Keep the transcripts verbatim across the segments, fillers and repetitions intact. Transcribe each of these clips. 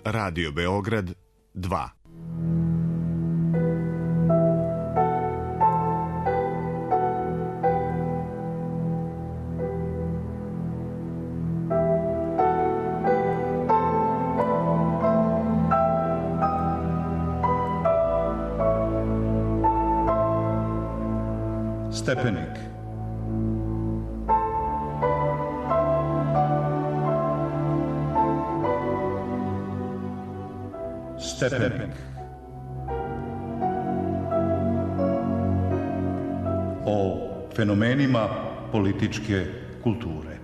Radio Beograd dva. Stepenik. Stepenik. O fenomenima političke kulture.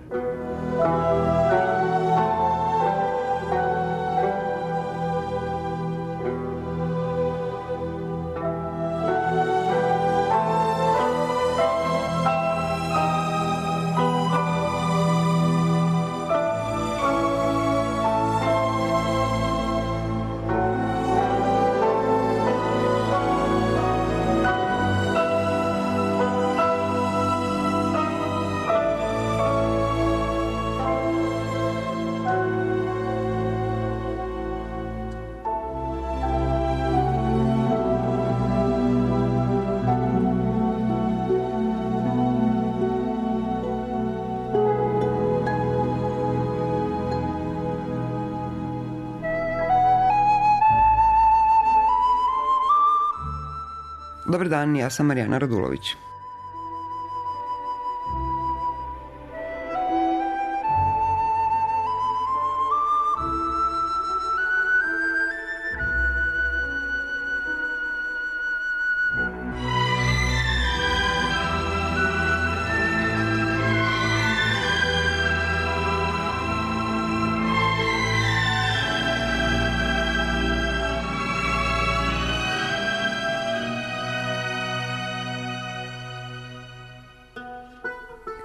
Dobar dan, ja sam Marijana Radulović.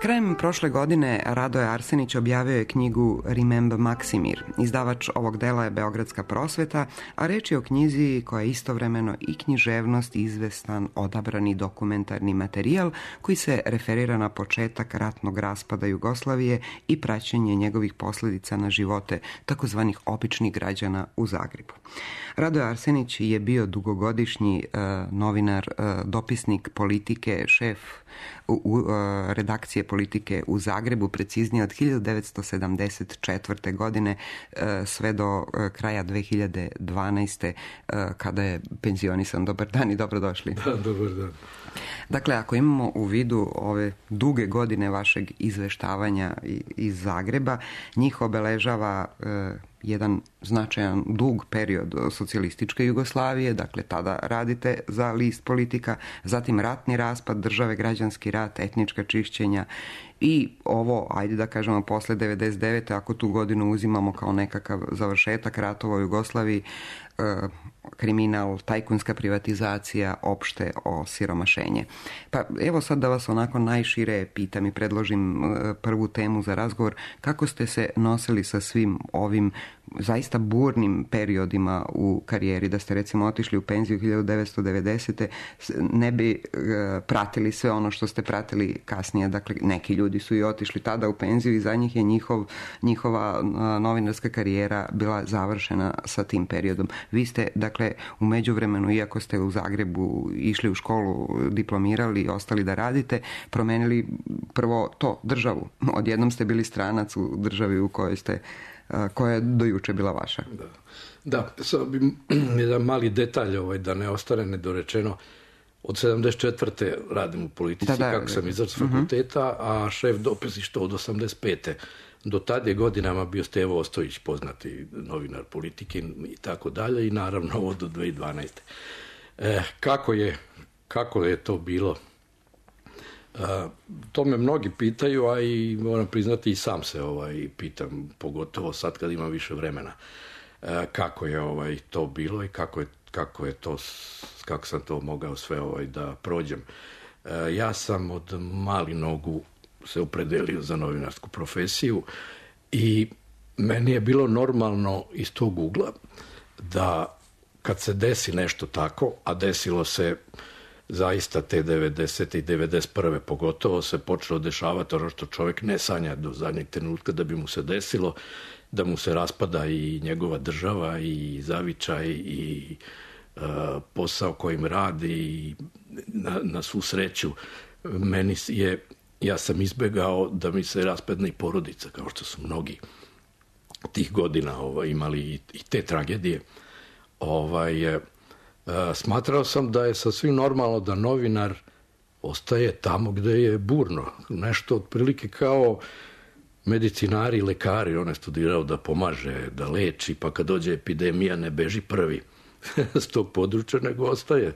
Krajem prošle godine Radoje Arsenić objavio je knjigu Rimemb Maksimir. Izdavač ovog dela je Beogradska prosveta, a reč je o knjizi koja je istovremeno i književnost i izvestan odabrani dokumentarni materijal koji se referira na početak ratnog raspada Jugoslavije i praćenje njegovih posljedica na živote takozvanih običnih građana u Zagrebu. Radoje Arsenić je bio dugogodišnji uh, novinar, uh, dopisnik politike, šef u, u, uh, redakcije politike u Zagrebu, preciznije od hiljadu devetsto sedamdeset četvrte. godine uh, sve do uh, kraja dve hiljade dvanaeste. Uh, kada je penzionisan. Dobar dan i dobrodošli. Da, dobar dan. Dakle, ako imamo u vidu ove duge godine vašeg izveštavanja iz Zagreba, njih obeležava uh, jedan značajan dug period socijalističke Jugoslavije, dakle tada radite za list Politika, zatim ratni raspad države, građanski rat, etnička čišćenja i ovo, ajde da kažemo, posle devedeset devete. ako tu godinu uzimamo kao nekakav završetak ratova u Jugoslaviji, kriminal, tajkunska privatizacija, opšte osiromašenje. Pa evo sad da vas onako najšire pitam i predložim prvu temu za razgovor. Kako ste se nosili sa svim ovim zaista burnim periodima u karijeri? Da ste recimo otišli u penziju hiljadu devetsto devedesete. ne bi pratili sve ono što ste pratili kasnije. Dakle, neki ljudi su i otišli tada u penziju i za njih je njihov, njihova novinarska karijera bila završena sa tim periodom. Vi ste, dakle, u međuvremenu, iako ste u Zagrebu išli u školu, diplomirali i ostali da radite, promenili prvo to, državu. Odjednom ste bili stranac u državi u kojoj ste, koja je do juče bila vaša. Da, da, sad bi jedan mali detalj ovaj, da ne ostane nedorečeno. Od sedamdeset četvrte radim u politici, da, da, kako sam izašao s fakulteta, a šef dopisništva od osamdeset pete Do tad je godinama bio Stevo Ostojić, poznati novinar politike i tako dalje, i naravno ovo do dve hiljade dvanaeste. E, kako je, kako je to bilo? E, to me mnogi pitaju, a i moram priznati i sam se ovaj, pitam, pogotovo sad kad imam više vremena. E, kako je ovaj, to bilo i kako je, kako je to, kako sam to mogao sve ovaj, da prođem. E, ja sam od malih nogu se opredelio za novinarsku profesiju i meni je bilo normalno iz tog ugla da kad se desi nešto tako, a desilo se zaista te devedesete i devedeset prve pogotovo se počelo dešavati ono što čovjek ne sanja do zadnjeg trenutka da bi mu se desilo, da mu se raspada i njegova država i zavičaj i uh, posao kojim radi i na, na svu sreću meni je, ja sam izbegao da mi se raspadne i porodica, kao što su mnogi tih godina ovaj, imali i, i te tragedije. Ovaj, uh, smatrao sam da je sasvim normalno da novinar ostaje tamo gde je burno. Nešto otprilike kao medicinari i lekari, on je studirao da pomaže, da leči, pa kad dođe epidemija ne beži prvi s tog područja, nego ostaje.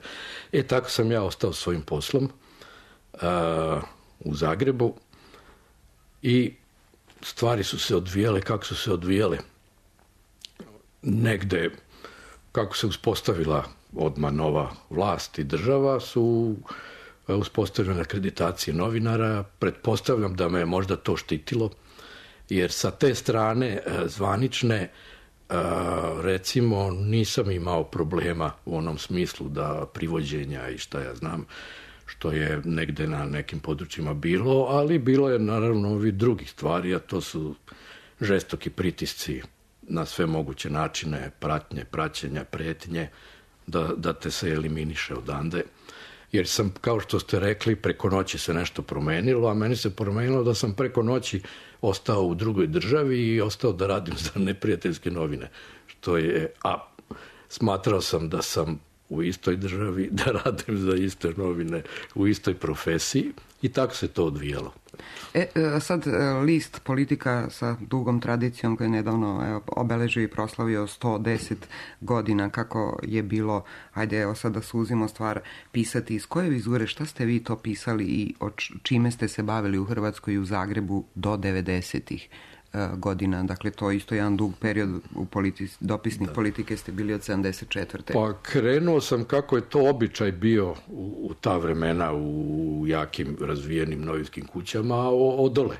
E, tako sam ja ostao svojim poslom uh, u Zagrebu i stvari su se odvijale kako su se odvijale. Negde, kako se uspostavila odmah nova vlast i država, su uspostavljene akreditacije novinara. Pretpostavljam da me je možda to štitilo, jer sa te strane zvanične, recimo, nisam imao problema u onom smislu da privođenja i šta ja znam, što je negde na nekim područjima bilo, ali bilo je naravno ovi drugih stvari, a to su žestoki pritisci na sve moguće načine, pratnje, praćenja, pretnje, da, da te se eliminiše odande. Jer sam, kao što ste rekli, preko noći se nešto promenilo, a meni se promenilo da sam preko noći ostao u drugoj državi i ostao da radim za neprijateljske novine. Što je, a smatrao sam da sam u istoj državi, da radim za iste novine u istoj profesiji i tako se to odvijalo. E, sad list Politika sa dugom tradicijom koji je nedavno evo, obeležio i proslavio sto deset godina, kako je bilo, ajde evo sad da suzimo stvar, pisati iz koje vizure, šta ste vi to pisali i o čime ste se bavili u Hrvatskoj i u Zagrebu do devedesetih godina, dakle to je isto jedan dug period u politi- dopisnih da. Politike ste bili od sedamdeset četvrte. Pa krenuo sam kako je to običaj bio u, u ta vremena u jakim razvijenim novinskim kućama od dole.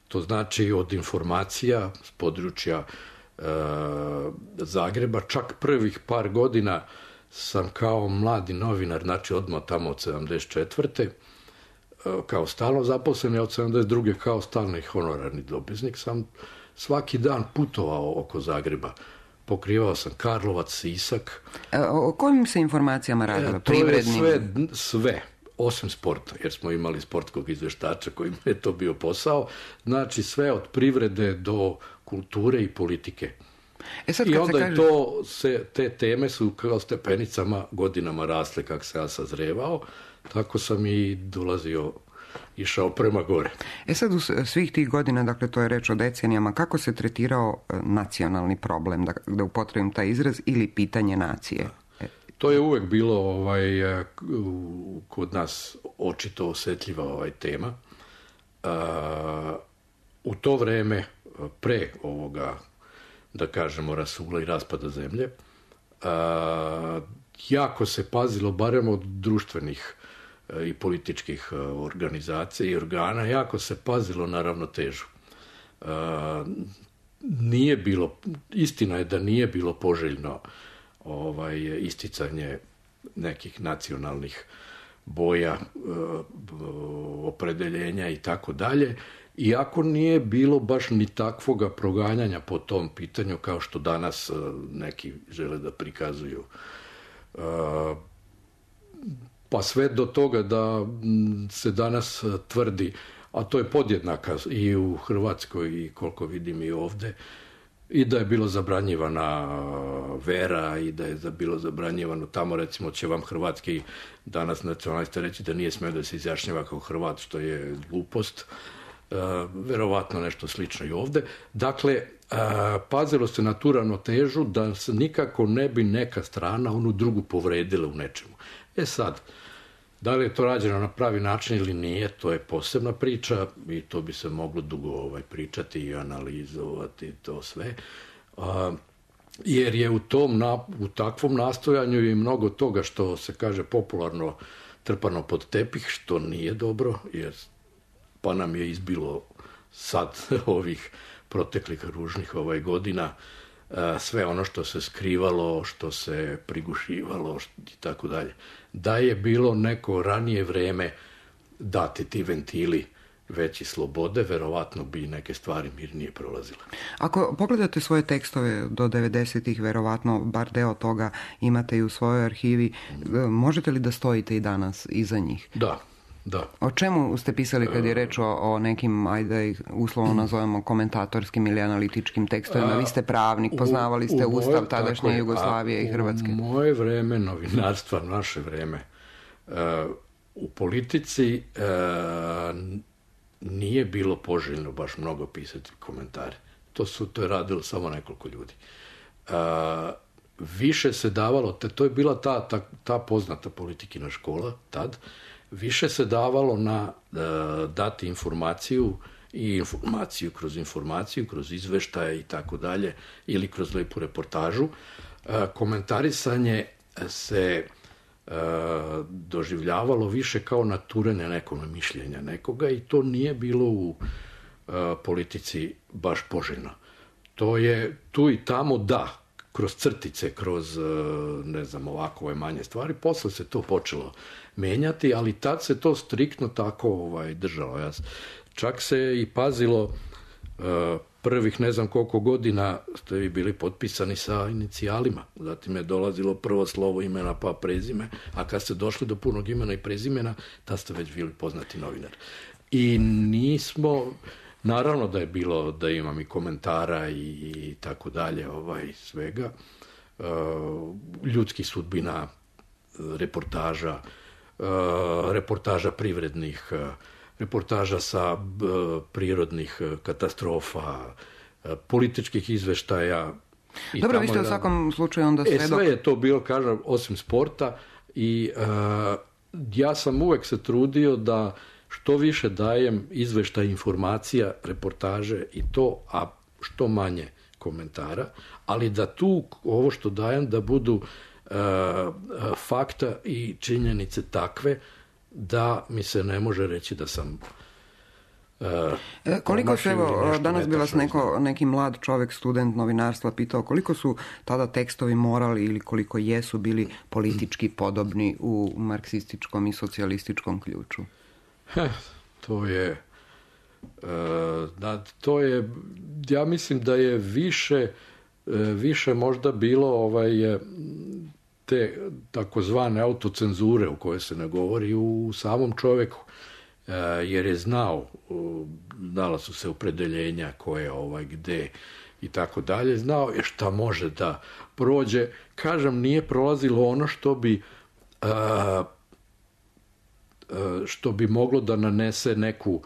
To znači od informacija s područja e, Zagreba, čak prvih par godina sam kao mladi novinar, znači odmah tamo od sedamdeset četvrte kao stalno zaposlen, od sedamdeset druge kao stalni honorarni dopisnik, sam svaki dan putovao oko Zagreba. Pokrivao sam Karlovac, Sisak. O kojim se informacijama radilo? E, to je sve, sve, osim sporta, jer smo imali sportskog izveštača koji je to bio posao. Znači sve od privrede do kulture i politike. E sad, I onda kaže... to se, te teme su kao stepenicama godinama rasle kako se ja sazrevao. Tako sam i dolazio, išao prema gore. E sad, u svih tih godina, dakle to je reč o decenijama, kako se tretirao nacionalni problem, da, da upotrebim taj izraz, ili pitanje nacije? Da. To je uvek bilo ovaj, kod nas očito osetljiva ovaj tema. U to vreme, pre ovoga, da kažemo, rasula i raspada zemlje, jako se pazilo, barem od društvenih i političkih organizacija i organa, jako se pazilo na ravnotežu. Nije bilo, istina je da nije bilo poželjno ovaj, isticanje nekih nacionalnih boja, opredeljenja i tako dalje, iako nije bilo baš ni takvoga proganjanja po tom pitanju kao što danas neki žele da prikazuju. Pa sve do toga da se danas tvrdi, a to je podjednaka i u Hrvatskoj i koliko vidim i ovde, i da je bilo zabranjivana vera i da je bilo zabranjivano tamo, recimo će vam hrvatski danas nacionalista reći da nije smeo da se izjašnjava kao Hrvat, što je glupost. Uh, verovatno nešto slično i ovde. Dakle, uh, pazilo se na tu ravnotežu da se nikako ne bi neka strana onu drugu povredila u nečemu. E sad, da li je to rađeno na pravi način ili nije, to je posebna priča i to bi se moglo dugo ovaj, pričati i analizovati to sve. Uh, jer je u tom na, u takvom nastojanju i mnogo toga što se kaže popularno trpano pod tepih, što nije dobro, jer pa nam je izbilo sad ovih proteklih ružnih ovaj godina sve ono što se skrivalo, što se prigušivalo i tako dalje. Da je bilo neko ranije vreme dati ti ventili veći slobode, verovatno bi neke stvari mirnije prolazile. Ako pogledate svoje tekstove do devedesetih, verovatno bar deo toga imate i u svojoj arhivi, možete li da stojite i danas iza njih? Da, da. O čemu ste pisali kad je reč o, o nekim, ajde ih uslovno nazovemo, komentatorskim ili analitičkim tekstovima? Vi ste pravnik, poznavali ste u, u Ustav moje, tadašnje Jugoslavije je, i Hrvatske. U moje vreme novinarstva, naše vreme, uh, u politici uh, nije bilo poželjno baš mnogo pisati komentare. To su to je radilo samo nekoliko ljudi. Uh, više se davalo, te, to je bila ta, ta, ta poznata politikina škola tad, više se davalo na uh, dati informaciju i informaciju kroz informaciju, kroz izveštaje i tako dalje, ili kroz lepu reportažu. Uh, komentarisanje se uh, doživljavalo više kao naturene nekog mišljenja nekoga i to nije bilo u uh, politici baš poželjno. To je tu i tamo da, kroz crtice, kroz, ne znam, ovakove manje stvari. Posle se to počelo menjati, ali tad se to striktno tako ovaj, držalo. Ja, čak se i pazilo, prvih ne znam koliko godina ste vi bili potpisani sa inicijalima. Zatim je dolazilo prvo slovo imena pa prezime, a kad ste došli do punog imena i prezimena, tad ste već bili poznati novinar. I nismo... Naravno da je bilo da imam i komentara i, i tako dalje, ovaj, svega. E, ljudskih sudbina, reportaža, e, reportaža privrednih, reportaža sa b, prirodnih katastrofa, političkih izveštaja. I dobro, vi ste u svakom slučaju onda svedok. E, sve je to bilo, kažem, osim sporta i e, ja sam uvek se trudio da što više dajem izveštaj, informacija, reportaže i to, a što manje komentara, ali da tu ovo što dajem da budu uh, fakta i činjenice takve da mi se ne može reći da sam uh, e, koliko se, evo, danas bi vas neko, neki mlad čovjek, student novinarstva pitao koliko su tada tekstovi morali ili koliko jesu bili politički podobni u marksističkom i socijalističkom ključu? Heh, to je, uh, da, to je, ja mislim da je više, uh, više možda bilo ovaj, te takozvane autocenzure u kojoj se ne govori u samom čovjeku, uh, jer je znao, uh, znala su se opredeljenja koje, ovaj, gde i tako dalje, znao je šta može da prođe. Kažem, nije prolazilo ono što bi uh, što bi moglo da nanese neku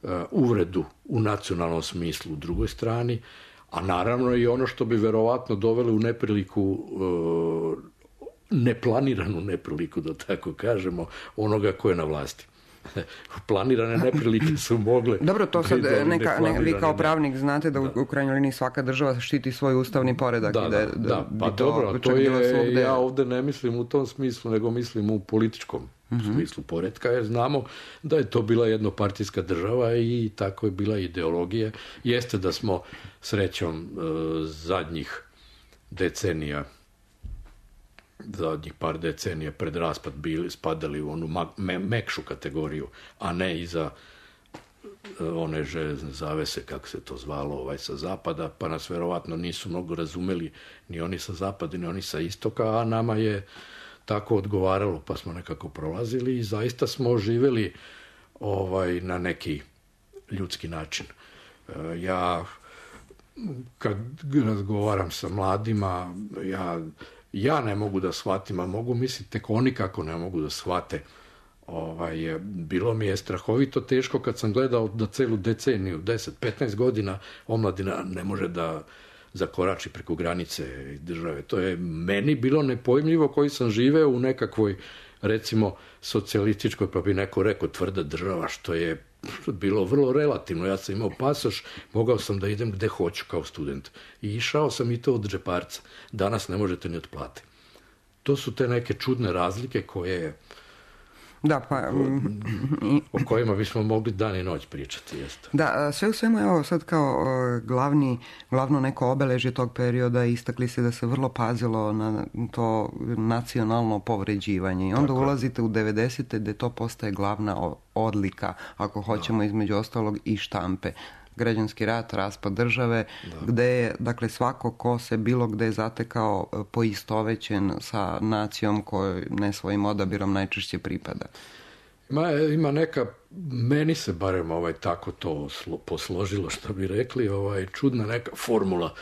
uh, uvredu u nacionalnom smislu u drugoj strani, a naravno i ono što bi verovatno dovelo u nepriliku, uh, neplaniranu nepriliku, da tako kažemo, onoga ko je na vlasti. Planirane neprilike su mogle... Dobro, to sad neka, ne, vi kao pravnik znate da, da u krajnjoj liniji svaka država štiti svoj ustavni poredak. Da, i da, da, da, da, pa to dobro, to je, svugde... ja ovde ne mislim u tom smislu, nego mislim u političkom mm-hmm. smislu poretka, jer znamo da je to bila jednopartijska država i tako je bila ideologija. Jeste da smo srećom zadnjih decenija zadnjih par decenija pred raspad bili, spadali u onu me, mekšu kategoriju, a ne iza one železne zavese, kako se to zvalo, ovaj, sa zapada, pa nas verovatno nisu mnogo razumeli ni oni sa zapada, ni oni sa istoka, a nama je tako odgovaralo, pa smo nekako prolazili i zaista smo živeli ovaj, na neki ljudski način. Ja, kad razgovaram sa mladima, ja Ja ne mogu da shvatim, a mogu misliti tek oni kako ne mogu da shvate. Ovaj, bilo mi je strahovito teško kad sam gledao da celu deceniju, deset petnaest godina, omladina ne može da zakorači preko granice države. To je meni bilo nepojmljivo koji sam živeo u nekakvoj, recimo, socijalističkoj, pa bi neko rekao tvrda država, što je bilo vrlo relativno. Ja sam imao pasoš, mogao sam da idem gde hoću kao student. I išao sam i to od džeparca. Danas ne možete ni od plate. To su te neke čudne razlike koje Da, pa... o kojima bismo mogli dan i noć pričati. Jeste. Da, sve u svemu, evo sad kao glavni, glavno neko obeležje tog perioda istakli se da se vrlo pazilo na to nacionalno povređivanje i onda Tako. ulazite u devedesete gde to postaje glavna odlika, ako hoćemo, da. između ostalog i štampe. Građanski rat, raspad države, da. gde je, dakle, svako ko se bilo gde zatekao poistovećen sa nacijom kojoj ne svojim odabirom najčešće pripada. Ima, ima neka, meni se barem ovaj, tako to slo, posložilo, što bi rekli, ovaj, čudna neka formula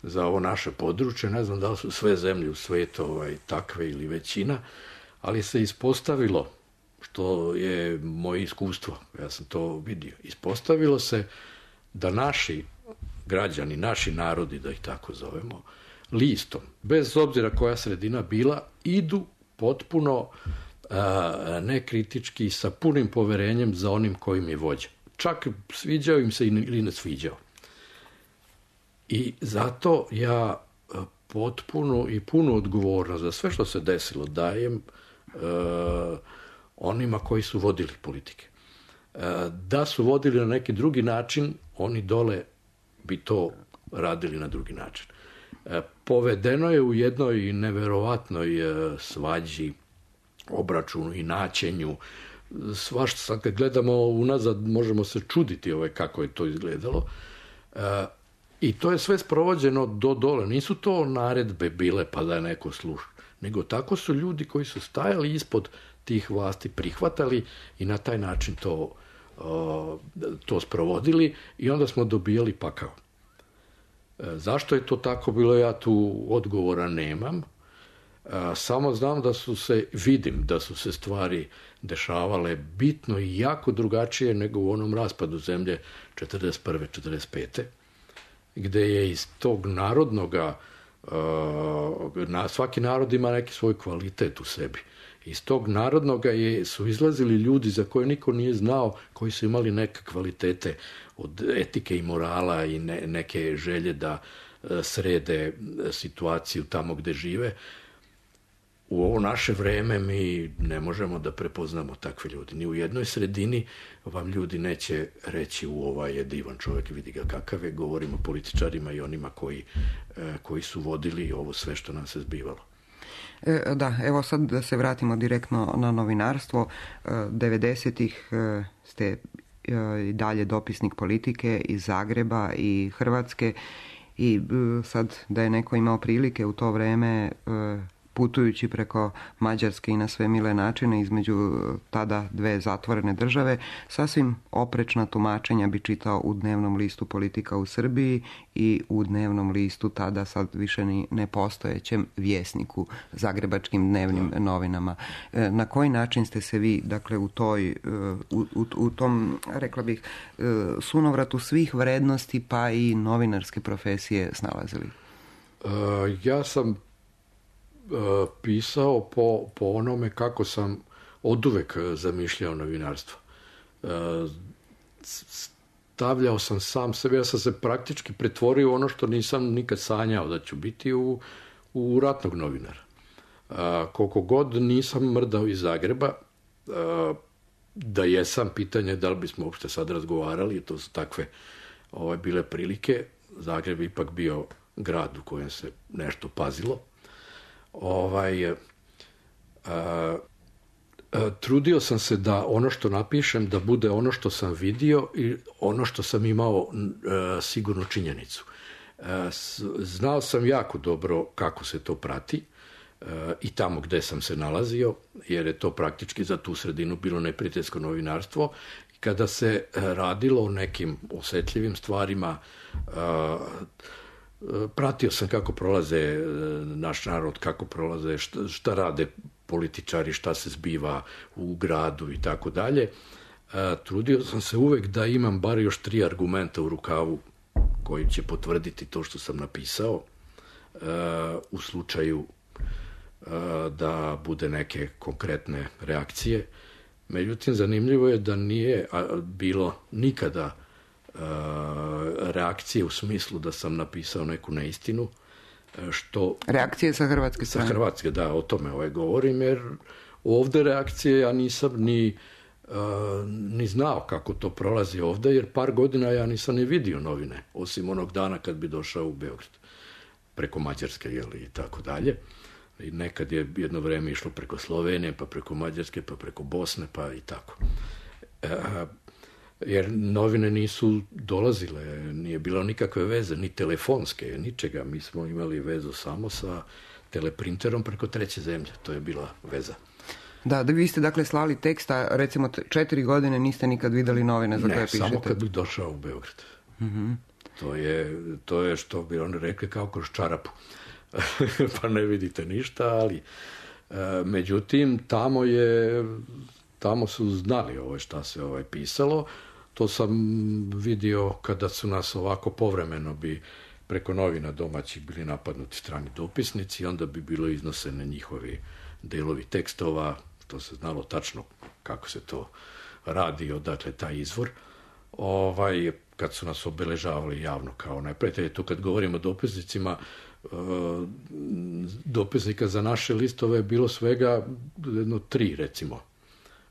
za ovo naše područje. Ne znam da li su sve zemlje u svijetu ovaj, takve ili većina, ali se ispostavilo, što je moje iskustvo, ja sam to vidio, ispostavilo se da naši građani, naši narodi, da ih tako zovemo, listom, bez obzira koja sredina bila, idu potpuno a, nekritički, sa punim poverenjem za onim kojim je vođa. Čak sviđao im se ili ne sviđao. I zato ja potpuno i punu odgovornost za sve što se desilo dajem a, onima koji su vodili politike. Da su vodili na neki drugi način, oni dole bi to radili na drugi način. Povedeno je u jednoj neverovatnoj svađi, obračunu i naćenju. Svašta, sad kad gledamo unazad, možemo se čuditi ovaj, kako je to izgledalo. I to je sve sprovođeno do dole. Nisu to naredbe bile pa da je neko sluša, nego tako su ljudi koji su stajali ispod tih vlasti prihvatali i na taj način to to sprovodili i onda smo dobijali pakao. Zašto je to tako bilo, ja tu odgovora nemam. Samo znam da su se, vidim da su se stvari dešavale bitno i jako drugačije nego u onom raspadu zemlje četrdeset prve četrdeset pete gde je iz tog narodnoga, svaki narod ima neki svoj kvalitet u sebi. Iz tog narodnoga je, su izlazili ljudi za koje niko nije znao, koji su imali neke kvalitete od etike i morala i ne, neke želje da srede situaciju tamo gde žive. U ovo naše vreme mi ne možemo da prepoznamo takve ljudi. Ni u jednoj sredini vam ljudi neće reći u ovaj je divan čovjek, vidi ga kakav je, govorimo o političarima i onima koji, koji su vodili ovo sve što nam se zbivalo. Da, evo sad da se vratimo direktno na novinarstvo. devedesetih ste i dalje dopisnik Politike iz Zagreba i Hrvatske i sad da je neko imao prilike u to vreme putujući preko Mađarske i na sve mile načine između tada dve zatvorene države, sasvim oprečna tumačenja bi čitao u dnevnom listu Politika u Srbiji i u dnevnom listu tada sad više ni nepostojećem Vjesniku, zagrebačkim dnevnim novinama. Na koji način ste se vi, dakle, u toj, u, u, u tom, rekla bih, sunovratu svih vrednosti pa i novinarske profesije snalazili? Uh, ja sam pisao po, po onome kako sam oduvek zamišljao novinarstvo. Stavljao sam sam sebe, ja sam se praktički pretvorio u ono što nisam nikad sanjao da ću biti, u, u ratnog novinara. Koliko god nisam mrdao iz Zagreba, da jesam, pitanje da li bismo uopšte sad razgovarali, to su takve ovaj, bile prilike. Zagreb je ipak bio grad u kojem se nešto pazilo. Ovaj, a, a, trudio sam se da ono što napišem da bude ono što sam vidio i ono što sam imao a, sigurnu činjenicu. A, znao sam jako dobro kako se to prati a, i tamo gde sam se nalazio, jer je to praktički za tu sredinu bilo neprijateljsko novinarstvo. Kada se radilo o nekim osetljivim stvarima, a, pratio sam kako prolaze naš narod, kako prolaze, šta, šta rade političari, šta se zbiva u gradu i tako dalje. Trudio sam se uvek da imam bar još tri argumenta u rukavu koji će potvrditi to što sam napisao u slučaju da bude neke konkretne reakcije. Međutim, zanimljivo je da nije bilo nikada reakcije u smislu da sam napisao neku neistinu, što... Reakcije sa hrvatske strane? Sa hrvatske, da, o tome ovaj govorim, jer Ovdje reakcije ja nisam ni, uh, ni znao kako to prolazi ovdje, jer par godina ja nisam ni vidio novine, osim onog dana kad bi došao u Beograd, preko Mađarske, jeli, i tako dalje. I nekad je jedno vrijeme išlo preko Slovenije, pa preko Mađarske, pa preko Bosne, pa i tako. Uh, jer novine nisu dolazile, nije bilo nikakve veze, ni telefonske, ničega. Mi smo imali vezu samo sa teleprinterom preko treće zemlje. To je bila veza. Da, da vi ste dakle slali teksta, recimo četiri godine niste nikad vidjeli novine za ne, koje pišete. Ne, samo kad bih došao u Beograd. Mm-hmm. To je, to je što bi oni rekli kao kroz čarapu. Pa ne vidite ništa, ali e, međutim tamo je tamo su znali ovaj šta se ovaj pisalo. To sam vidio kada su nas ovako povremeno bi preko novina domaćih bili napadnuti strani dopisnici i onda bi bilo iznosene njihovi delovi tekstova, to se znalo tačno kako se to radi, odakle taj izvor. Ovaj, kad su nas obeležavali javno kao neprijatelje, to kad govorimo o dopisnicima, dopisnika za naše listove je bilo svega jedno tri, recimo.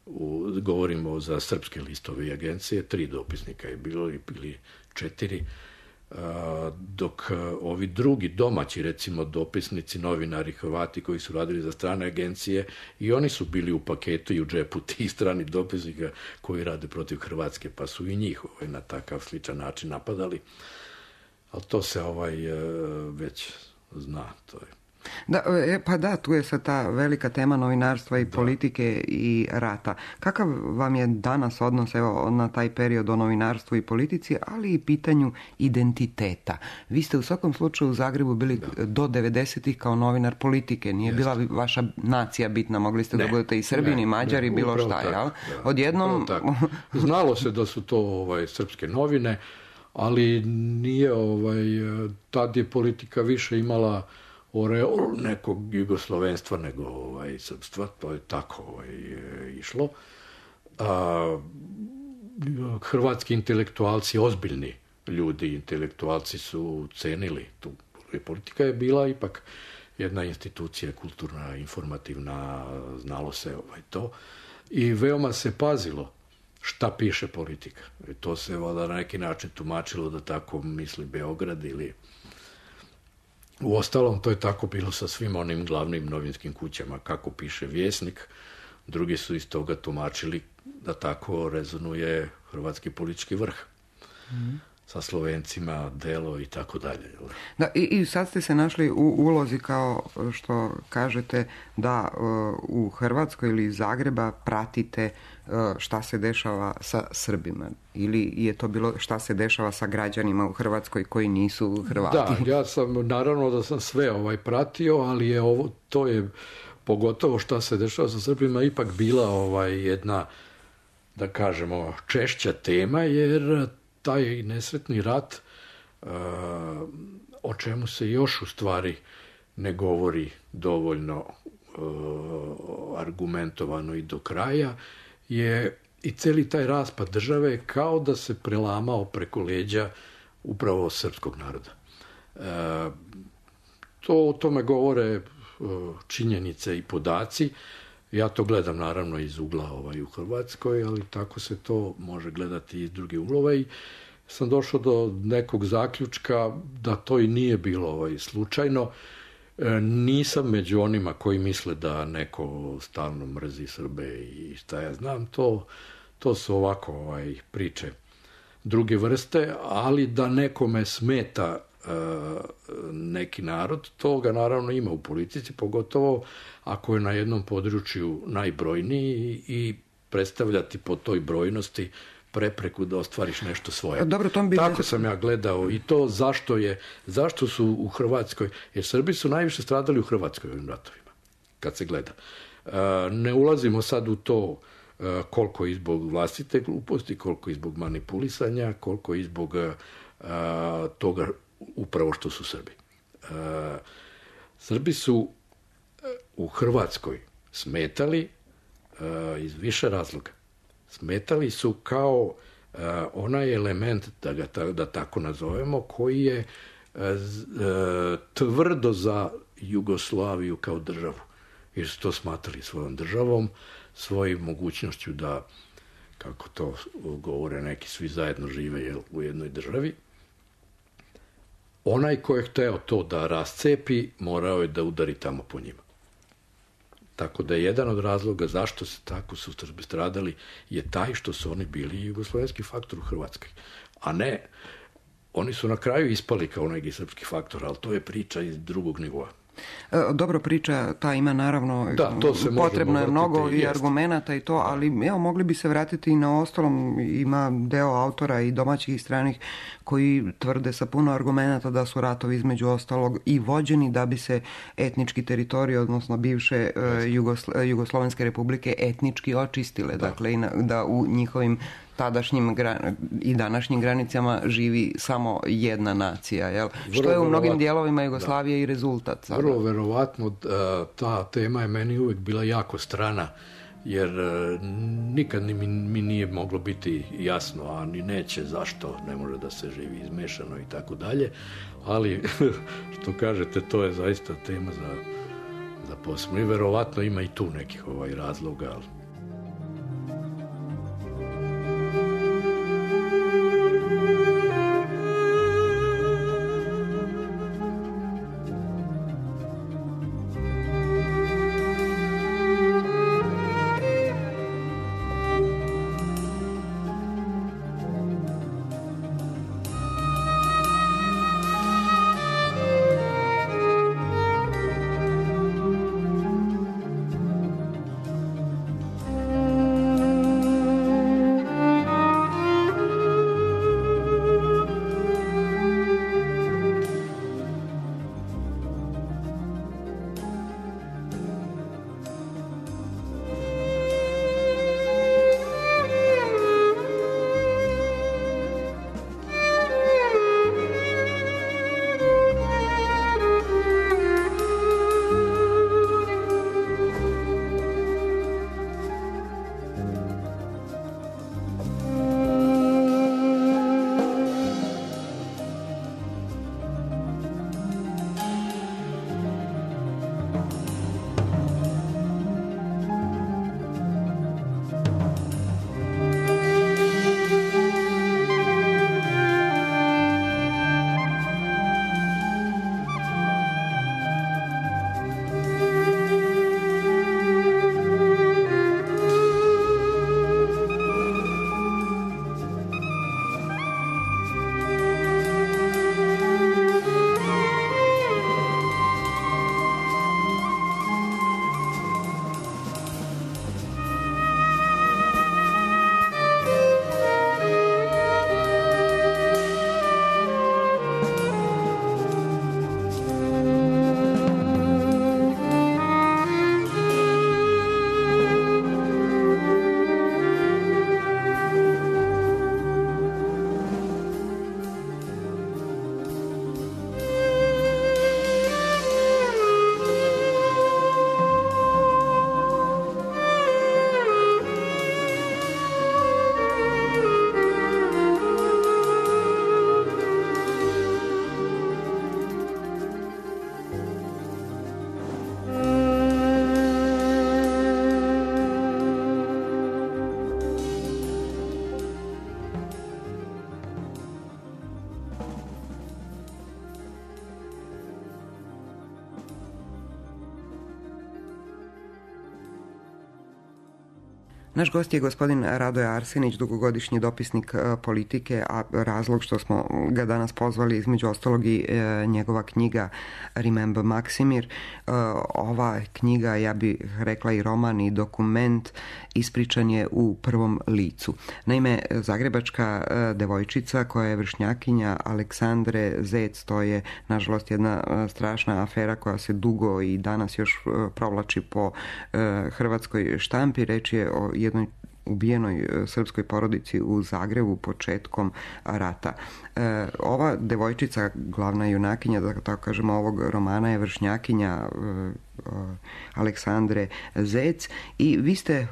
U, govorimo za srpske listove i agencije, tri dopisnika je bilo ili četiri, a, dok a, ovi drugi domaći, recimo dopisnici, novinari, Hrvati koji su radili za strane agencije, i oni su bili u paketu i u džepu tih stranih dopisnika koji rade protiv Hrvatske, pa su i njih ovaj, na takav sličan način napadali. Ali to se ovaj već zna, to je. Da, pa da, tu je sad ta velika tema novinarstva i da. Politike i rata. Kakav vam je danas odnos evo, na taj period o novinarstvu i politici, ali i pitanju identiteta? Vi ste u svakom slučaju u Zagrebu bili da. do devedesetih kao novinar politike. Nije Jeste. bila vaša nacija bitna, mogli ste ne, da budete i Srbini, i Mađari, ne, bilo šta. Jel? Odjednom... Znalo se da su to ovaj, srpske novine, ali nije, ovaj, tad je politika više imala oreol nekog jugoslovenstva nego ovaj, srpstva, to je tako ovaj, išlo. A, hrvatski intelektualci, ozbiljni ljudi, intelektualci su cenili tu. Politika je bila ipak jedna institucija kulturna, informativna, znalo se ovaj, to. I veoma se pazilo šta piše politika. I to se voda na neki način tumačilo da tako misli Beograd ili... Uostalom, to je tako bilo sa svim onim glavnim novinskim kućama. Kako piše Vjesnik, drugi su iz toga tumačili da tako rezonuje hrvatski politički vrh. Mm. Sa Slovencima, Delo i tako dalje. Da, i, i sad ste se našli u ulozi kao što kažete da uh, u Hrvatskoj ili iz Zagreba pratite uh, šta se dešava sa Srbima. Ili je to bilo šta se dešava sa građanima u Hrvatskoj koji nisu Hrvati? Da, ja sam, naravno da sam sve ovaj pratio, ali je ovo, to je pogotovo šta se dešava sa Srbima ipak bila ovaj jedna, da kažemo, češća tema, jer taj nesretni rat, uh, o čemu se još u stvari ne govori dovoljno uh, argumentovano i do kraja, je i cijeli taj raspad države kao da se prelamao preko leđa upravo srpskog naroda. Uh, to o tome govore uh, činjenice i podaci. Ja to gledam naravno iz ugla ovaj, u Hrvatskoj, ali tako se to može gledati iz drugih uglova i sam došao do nekog zaključka da to i nije bilo ovaj, slučajno. E, nisam među onima koji misle da neko stalno mrzi Srbe i šta ja znam, to, to su ovako ovaj, priče druge vrste, ali da nekome smeta neki narod, toga naravno ima u politici, pogotovo ako je na jednom području najbrojniji i predstavljati po toj brojnosti prepreku da ostvariš nešto svoje. Dobro, tom bi... Tako sam ja gledao i to zašto je, zašto su u Hrvatskoj, jer Srbi su najviše stradali u Hrvatskoj ovim ratovima, kad se gleda. Ne ulazimo sad u to koliko i zbog vlastite gluposti, koliko i zbog manipulisanja, koliko i zbog toga upravo što su Srbi. Uh, Srbi su u Hrvatskoj smetali uh, iz više razloga. Smetali su kao uh, onaj element, da ga ta, da tako nazovemo, koji je uh, tvrdo za Jugoslaviju kao državu. jer su to smatrali svojom državom, svojim mogućnošću da, kako to govore neki, svi zajedno žive jel, u jednoj državi. Onaj ko je hteo to da rascepi, morao je da udari tamo po njima. Tako da je jedan od razloga zašto se tako su Srbi stradali je taj što su oni bili jugoslovenski faktor u Hrvatskoj. A ne, oni su na kraju ispali kao neki srpski faktor, ali to je priča iz drugog nivoa. Dobro, priča ta ima naravno, da, potrebno je mnogo i argumenata i to, ali evo, mogli bi se vratiti i na ostalom, ima deo autora i domaćih i stranih koji tvrde sa puno argumenata da su ratovi između ostalog i vođeni da bi se etnički teritorij, odnosno bivše Jugoslo- Jugoslovenske republike etnički očistile, da. Dakle i na, da u njihovim tadašnjim i današnjim granicama živi samo jedna nacija, jel? Što je u mnogim dijelovima Jugoslavije da. I rezultat. Sada. Vrlo verovatno ta tema je meni uvijek bila jako strana, jer nikad mi, mi nije moglo biti jasno, a ni neće zašto ne može da se živi izmešano i tako dalje, ali što kažete, to je zaista tema za, za posebno i verovatno ima i tu nekih ovaj razloga, ali Naš gost je gospodin Radoje Arsenić, dugogodišnji dopisnik politike, a razlog što smo ga danas pozvali između ostalog i njegova knjiga Remember Maksimir. Ova knjiga, ja bih rekla i roman i dokument, ispričan je u prvom licu. Naime, zagrebačka devojčica koja je vršnjakinja Aleksandre Zec, to je nažalost jedna strašna afera koja se dugo i danas još provlači po hrvatskoj štampi. Reč je o jednoj ubijenoj srpskoj porodici u Zagrebu početkom rata. E, ova devojčica, glavna junakinja, da tako kažemo, ovog romana je vršnjakinja e, Aleksandre Zec. I vi ste,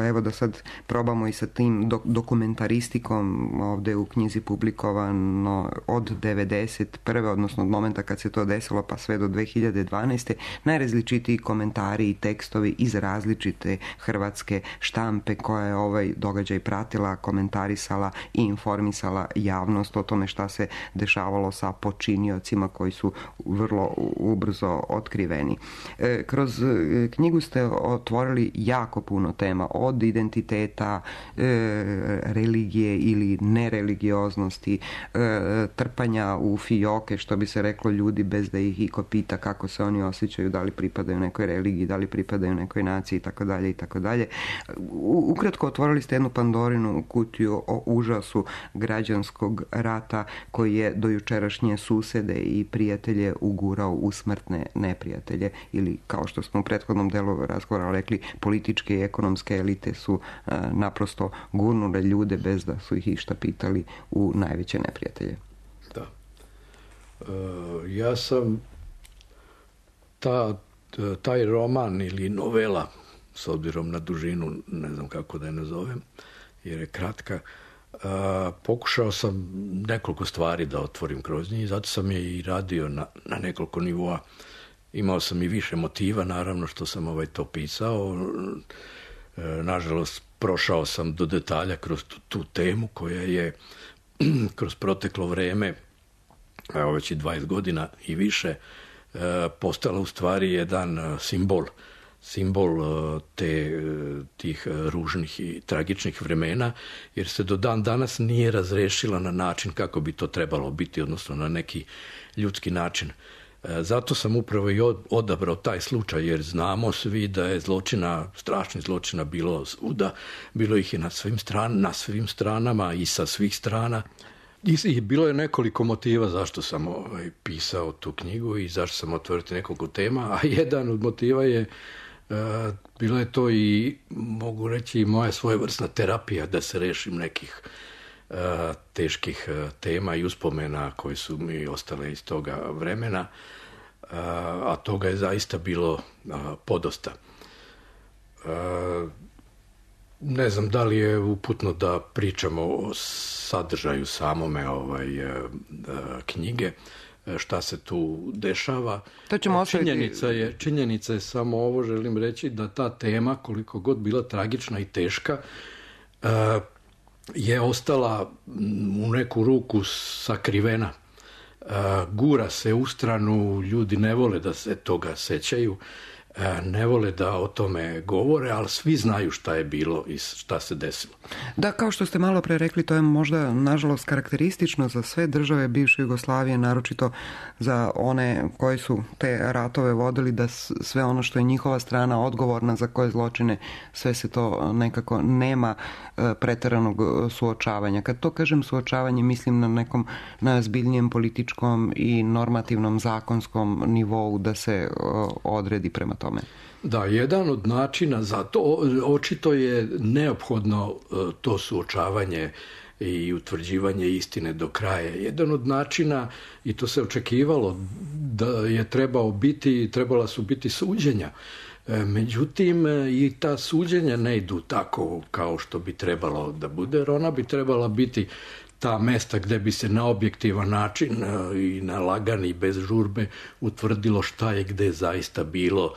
evo da sad probamo i sa tim dokumentaristikom, ovdje u knjizi publikovano od devedeset prve odnosno od momenta kad se to desilo pa sve do dve hiljade dvanaeste. najrazličitiji komentari i tekstovi iz različite hrvatske štampe koja je ovaj događaj pratila, komentarisala i informisala javnost o tome šta se dešavalo sa počiniocima koji su vrlo ubrzo otkriveni. Kroz knjigu ste otvorili jako puno tema, od identiteta, religije ili nereligioznosti, trpanja u fijoke, što bi se reklo, ljudi bez da ih iko pita kako se oni osjećaju, da li pripadaju nekoj religiji, da li pripadaju nekoj naciji, itd. itd. Ukratko otvorili ste jednu Pandorinu kutiju o užasu građanskog rata koji je do jučerašnje susede i prijatelje ugurao u smrtne neprijatelje, ili kao što smo u prethodnom delu razgovora rekli, političke i ekonomske elite su a, naprosto gurnule ljude bez da su ih išta pitali u najveće neprijatelje. Da. E, ja sam ta, taj roman ili novela, s obzirom na dužinu, ne znam kako da je nazovem, jer je kratka, a, pokušao sam nekoliko stvari da otvorim kroz njih, zato sam je i radio na, na nekoliko nivoa. Imao sam i više motiva, naravno, što sam ovaj to pisao. E, nažalost, prošao sam do detalja kroz tu, tu temu koja je kroz proteklo vreme, evo već i dvadeset godina i više, e, postala u stvari jedan simbol, simbol te, tih ružnih i tragičnih vremena, jer se do dan danas nije razrešila na način kako bi to trebalo biti, odnosno na neki ljudski način. Zato sam upravo i odabrao taj slučaj, jer znamo svi da je zločina, strašnih zločina bilo svuda, bilo ih je na svim, stran, na svim stranama i sa svih strana. I, i bilo je nekoliko motiva zašto sam ovaj, pisao tu knjigu i zašto sam otvorio nekoliko tema, a jedan od motiva je, uh, bilo je to i, mogu reći, moja svojevrsna terapija da se rešim nekih uh, teških uh, tema i uspomena koji su mi ostale iz toga vremena, uh, a toga je zaista bilo uh, podosta. Uh, ne znam da li je uputno da pričamo o sadržaju samome ovaj, uh, knjige, šta se tu dešava. To ćemo ostaviti. Činjenica je, činjenica je samo ovo, želim reći, da ta tema, koliko god bila tragična i teška, uh, je ostala u neku ruku sakrivena. Uh, gura se u stranu, ljudi ne vole da se toga sećaju, ne vole da o tome govore, ali svi znaju šta je bilo i šta se desilo. Da, kao što ste malo pre rekli, to je možda nažalost karakteristično za sve države bivše Jugoslavije, naročito za one koji su te ratove vodili, da sve ono što je njihova strana odgovorna za koje zločine, sve se to nekako nema preteranog suočavanja. Kad to kažem suočavanje, mislim na nekom najozbiljnijem političkom i normativnom zakonskom nivou da se odredi prema tome. Da, jedan od načina za to, očito je neophodno to suočavanje i utvrđivanje istine do kraja. Jedan od načina, i to se očekivalo, da je trebao biti, trebala su biti suđenja. Međutim, i ta suđenja ne idu tako kao što bi trebalo da bude, jer ona bi trebala biti ta mesta gdje bi se na objektivan način i na lagan i bez žurbe utvrdilo šta je gdje zaista bilo,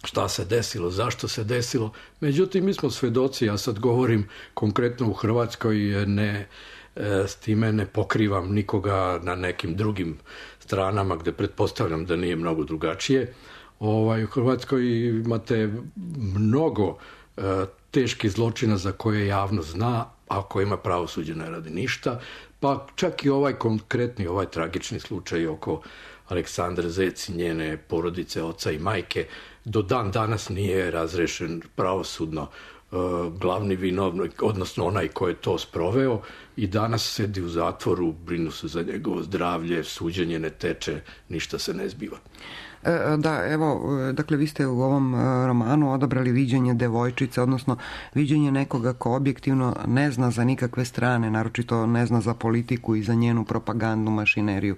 šta se desilo, zašto se desilo. Međutim, mi smo svedoci, ja sad govorim konkretno u Hrvatskoj, ne, s time ne pokrivam nikoga na nekim drugim stranama gdje pretpostavljam da nije mnogo drugačije. Ovaj, u Hrvatskoj imate mnogo e, teških zločina za koje javnost zna, a kojima pravosuđe ne radi ništa, pa čak i ovaj konkretni, ovaj tragični slučaj oko Aleksandre Zec i njene porodice, oca i majke, do dan danas nije razrešen pravosudno. E, glavni vinovnik, odnosno onaj ko je to sproveo, i danas sedi u zatvoru, brinu se za njegovo zdravlje, suđenje ne teče, ništa se ne zbiva. Da, evo, dakle, vi ste u ovom romanu odabrali viđenje devojčice, odnosno viđenje nekoga ko objektivno ne zna za nikakve strane, naročito ne zna za politiku i za njenu propagandnu mašineriju.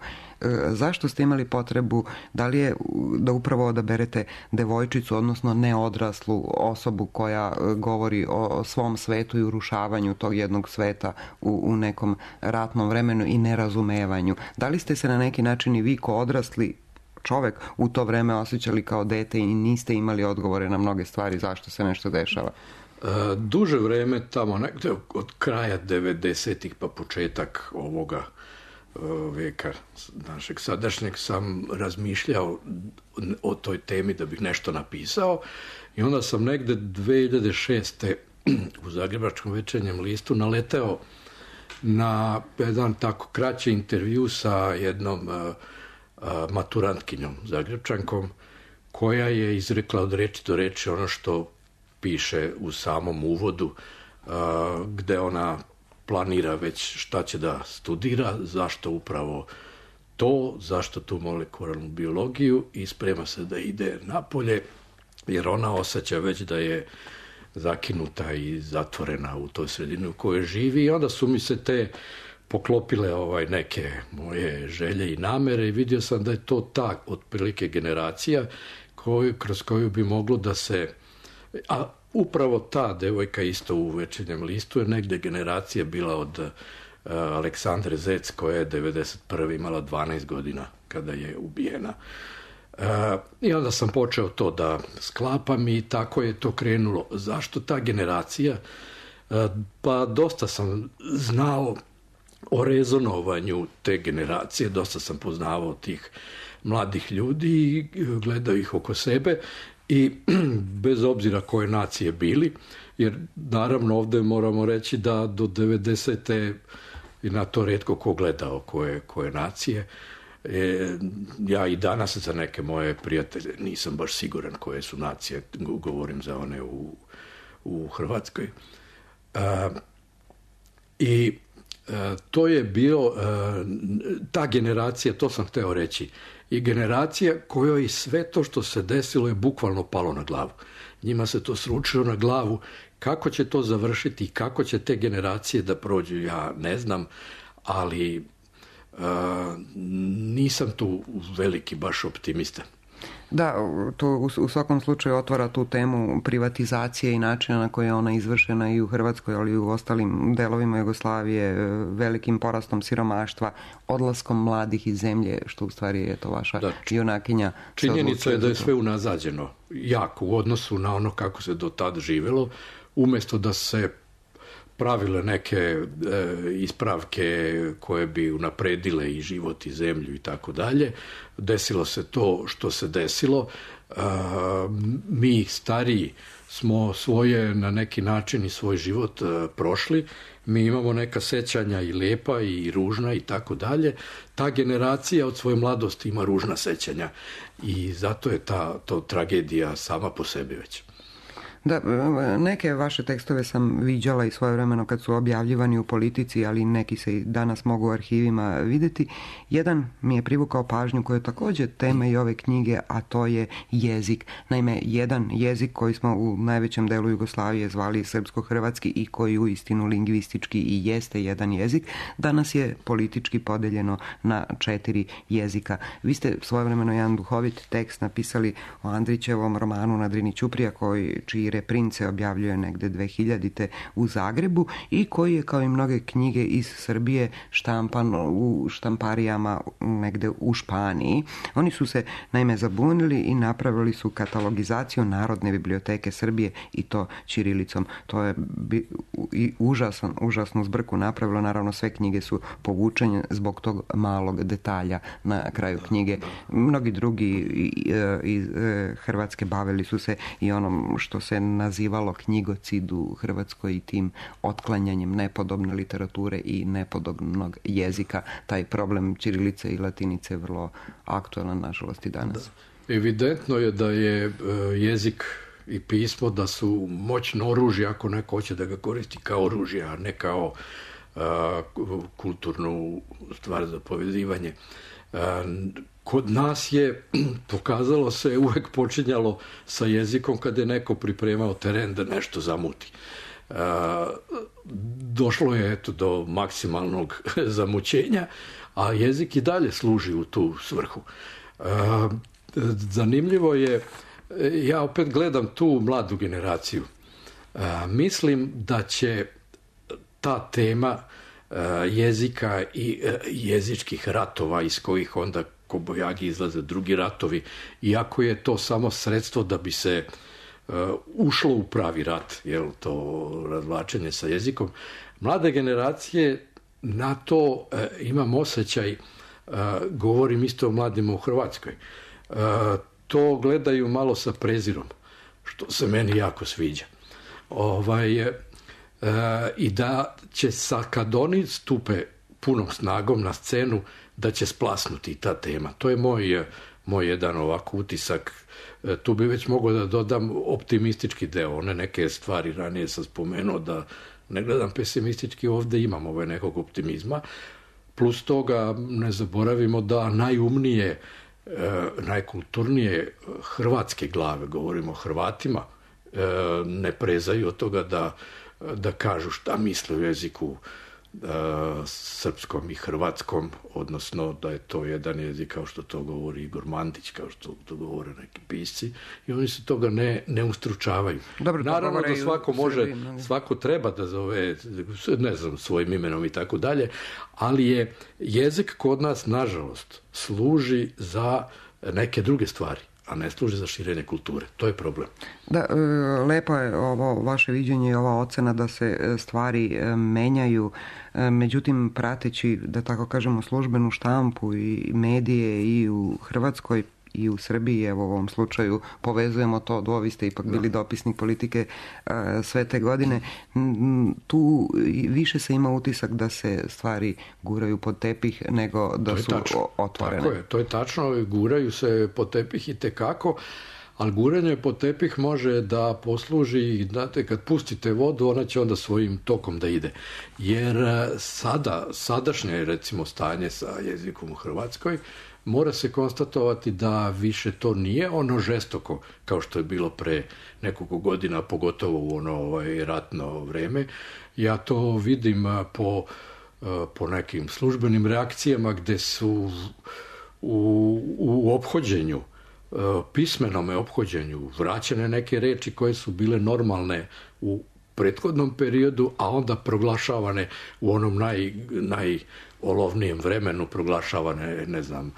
Zašto ste imali potrebu, da li je da upravo odaberete devojčicu, odnosno neodraslu osobu koja govori o svom svetu i urušavanju tog jednog sveta u, u nekom ratnom vremenu i nerazumevanju? Da li ste se na neki način i vi ko odrasli čovek u to vreme osjećali kao dete i niste imali odgovore na mnoge stvari zašto se nešto dešava? Duže vreme, tamo nekde od kraja devedesetih pa početak ovoga veka našeg sadašnjeg, sam razmišljao o toj temi da bih nešto napisao i onda sam negde dve hiljade šeste. u Zagrebačkom večernjem listu naleteo na jedan tako kraći intervju sa jednom maturantkinjom Zagrebčankom, koja je izrekla od reči do reči ono što piše u samom uvodu, gde ona planira već šta će da studira, zašto upravo to, zašto tu molekularnu biologiju, i sprema se da ide napolje, jer ona osjeća već da je zakinuta i zatvorena u toj sredini u kojoj živi, i onda su mi se te poklopile ovaj neke moje želje i namere i vidio sam da je to ta otprilike generacija koju, kroz koju bi moglo da se... A upravo ta devojka isto u Večernjem listu je negde generacija bila od uh, Aleksandre Zec, koja je devedeset prve imala dvanaest godina kada je ubijena. Uh, I onda sam počeo to da sklapam i tako je to krenulo. Zašto ta generacija? Uh, pa dosta sam znao o rezonovanju te generacije, dosta sam poznavao tih mladih ljudi i gledao ih oko sebe, i bez obzira koje nacije bili, jer naravno ovde moramo reći da do devedesete i na to retko ko gledao koje, koje nacije. E, ja i danas za neke moje prijatelje nisam baš siguran koje su nacije, govorim za one u, u Hrvatskoj. A, I a, to je bio, a, ta generacija, to sam hteo reći, i generacija kojoj sve to što se desilo je bukvalno palo na glavu. Njima se to sručilo na glavu. Kako će to završiti i kako će te generacije da prođu, ja ne znam, ali uh, nisam tu veliki baš optimista. Da, to u, u svakom slučaju otvara tu temu privatizacije i načina na koji je ona izvršena i u Hrvatskoj, ali i u ostalim delovima Jugoslavije, velikim porastom siromaštva, odlaskom mladih iz zemlje, što u stvari je to vaša da, junakinja. Činjenica je da je sve unazađeno jako u odnosu na ono kako se do tad živelo, umjesto da se pravile neke e, ispravke koje bi unapredile i život i zemlju i tako dalje. Desilo se to što se desilo. E, mi stariji smo svoje na neki način i svoj život e, prošli. Mi imamo neka sećanja i lepa i ružna i tako dalje. Ta generacija od svoje mladosti ima ružna sećanja i zato je ta to tragedija sama po sebi već. Da, neke vaše tekstove sam viđala i svojevremeno kad su objavljivani u Politici, ali neki se i danas mogu u arhivima vidjeti. Jedan mi je privukao pažnju koji je također tema i ove knjige, a to je jezik. Naime, jedan jezik koji smo u najvećem delu Jugoslavije zvali srpsko-hrvatski i koji uistinu lingvistički i jeste jedan jezik, danas je politički podeljeno na četiri jezika. Vi ste svojevremeno jedan duhovit tekst napisali o Andrićevom romanu Na Drini ćuprija, koji čiji reprince objavljuje negde dve hiljadite u Zagrebu i koji je kao i mnoge knjige iz Srbije štampan u štamparijama negde u Španiji. Oni su se naime zabunili i napravili su katalogizaciju Narodne biblioteke Srbije i to ćirilicom. To je bi, i užasan, užasnu zbrku napravilo. Naravno sve knjige su povučene zbog tog malog detalja na kraju knjige. Mnogi drugi iz Hrvatske bavili su se i onom što se nazivalo knjigocid u Hrvatskoj i tim otklanjanjem nepodobne literature i nepodobnog jezika. Taj problem ćirilice i latinice je vrlo aktualan, nažalost, i danas. Da. Evidentno je da je jezik i pismo da su moćno oružje ako neko hoće da ga koristi kao oružje, a ne kao kulturnu stvar za povezivanje. Kod nas je, pokazalo se, uvek počinjalo sa jezikom kada je neko pripremao teren da nešto zamuti. Došlo je eto do maksimalnog zamućenja, a jezik i dalje služi u tu svrhu. Zanimljivo je, ja opet gledam tu mladu generaciju. Mislim da će ta tema jezika i jezičkih ratova iz kojih onda kobojagi izlaze drugi ratovi, iako je to samo sredstvo da bi se ušlo u pravi rat, jel, to razvlačenje sa jezikom. Mlade generacije na to imam osjećaj, govorim isto o mladima u Hrvatskoj, to gledaju malo sa prezirom, što se meni jako sviđa. Ovaj, i da će sa, kad oni stupe punom snagom na scenu, da će splasnuti ta tema. To je moj, moj jedan ovako utisak. Tu bi već mogao da dodam optimistički deo. One neke stvari ranije sam spomenuo da ne gledam pesimistički, ovdje imam ovaj nekog optimizma. Plus toga ne zaboravimo da najumnije, najkulturnije hrvatske glave, govorimo o Hrvatima, ne prezaju od toga da da kažu šta misle o jeziku uh, srpskom i hrvatskom, odnosno da je to jedan jezik kao što to govori Igor Mandić, kao što to govore neki pisci, i oni se toga ne, ne ustručavaju. Dobro, naravno da svako može, svako treba da zove, ne znam, svojim imenom i tako dalje, ali je jezik kod nas, nažalost, služi za neke druge stvari, a ne služi za širenje kulture. To je problem. Da, lepo je ovo vaše viđenje i ova ocena da se stvari menjaju, međutim prateći, da tako kažemo, službenu štampu i medije i u Hrvatskoj i u Srbiji, evo u ovom slučaju povezujemo to, vi ste ipak bili dopisnik politike sve te godine, tu više se ima utisak da se stvari guraju pod tepih nego da su otvorene. Tako je, to je tačno, guraju se pod tepih i tekako, ali guranje pod tepih može da posluži, znate, kad pustite vodu, ona će onda svojim tokom da ide. Jer sada, sadašnje, recimo, stanje sa jezikom u Hrvatskoj, mora se konstatovati da više to nije ono žestoko kao što je bilo pre nekoliko godina, pogotovo u ono ovaj, ratno vreme. Ja to vidim po, po nekim službenim reakcijama gde su u, u ophođenju, pismenome ophođenju vraćene neke reči koje su bile normalne u prethodnom periodu, a onda proglašavane u onom naj, najolovnijem vremenu, proglašavane, ne znam,